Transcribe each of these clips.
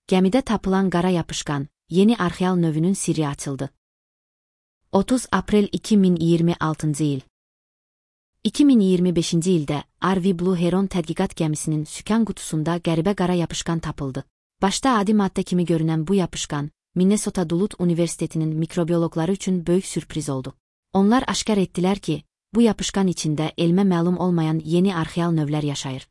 Gəmidə tapılan qara yapışqan, yeni arxeal növünün sirri açıldı. 30 aprel 2026-cı il. 2025-ci ildə RV Blue Heron tədqiqat gəmisinin sükan qutusunda qəribə qara yapışqan tapıldı. Başda adi maddə kimi görünən bu yapışqan, Minnesota Duluth Universitetinin mikrobioloqları üçün böyük sürpriz oldu. Onlar aşkar etdilər ki, bu yapışqan içində elmə məlum olmayan yeni arxeal növlər yaşayır.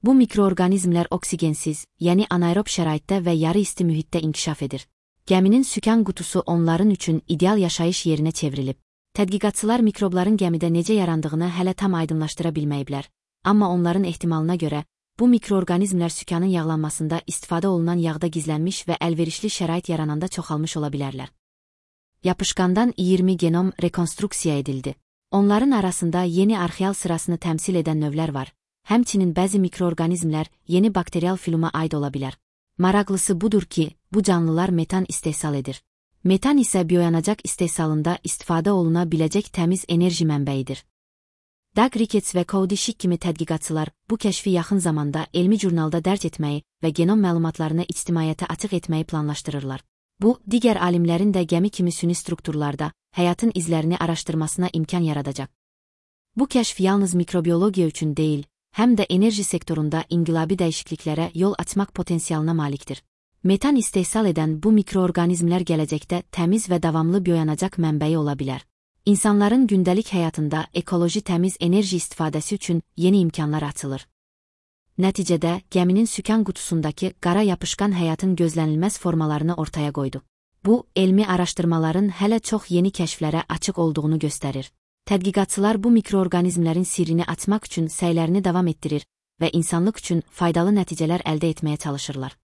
Bu mikroorqanizmlər oksigensiz, yəni anaerob şəraitdə və yarı isti mühitdə inkişaf edir. Gəminin sükan qutusu onların üçün ideal yaşayış yerinə çevrilib. Tədqiqatçılar mikrobların gəmidə necə yarandığını hələ tam aydınlaşdıra bilməyiblər, amma onların ehtimalına görə, bu mikroorqanizmlər sükanın yağlanmasında istifadə olunan yağda gizlənmiş və əlverişli şərait yarananda çoxalmış ola bilərlər. Yapışqandan 20 genom rekonstruksiya edildi. Onların arasında yeni arxeal sırasını təmsil edən növlər var. Həmçinin bəzi mikroorqanizmlər yeni bakterial filuma aid ola bilər. Maraqlısı budur ki, bu canlılar metan istehsal edir. Metan isə bioyanacaq istehsalında istifadə oluna biləcək təmiz enerji mənbəyidir. Doug Ricketts və Cody Schick kimi tədqiqatçılar bu kəşfi yaxın zamanda elmi jurnalda dərc etməyi və genom məlumatlarını ictimaiyyətə açıq etməyi planlaşdırırlar. Bu, digər alimlərin də gəmi kimi süni strukturlarda həyatın izlərini araşdırmasına imkan yaradacaq. Bu kəşf yalnız mikrobiologiya üçün deyil, həm də enerji sektorunda inqilabi dəyişikliklərə yol açmaq potensialına malikdir. Metan istehsal edən bu mikroorqanizmlər gələcəkdə təmiz və davamlı bioyanacaq mənbəyi ola bilər. İnsanların gündəlik həyatında ekoloji təmiz enerji istifadəsi üçün yeni imkanlar açılır. Nəticədə, gəminin sükan qutusundakı qara yapışqan həyatın gözlənilməz formalarını ortaya qoydu. Bu, elmi araşdırmaların hələ çox yeni kəşflərə açıq olduğunu göstərir. Tədqiqatçılar bu mikroorqanizmlərin sirrini açmaq üçün səylərini davam etdirir və insanlıq üçün faydalı nəticələr əldə etməyə çalışırlar.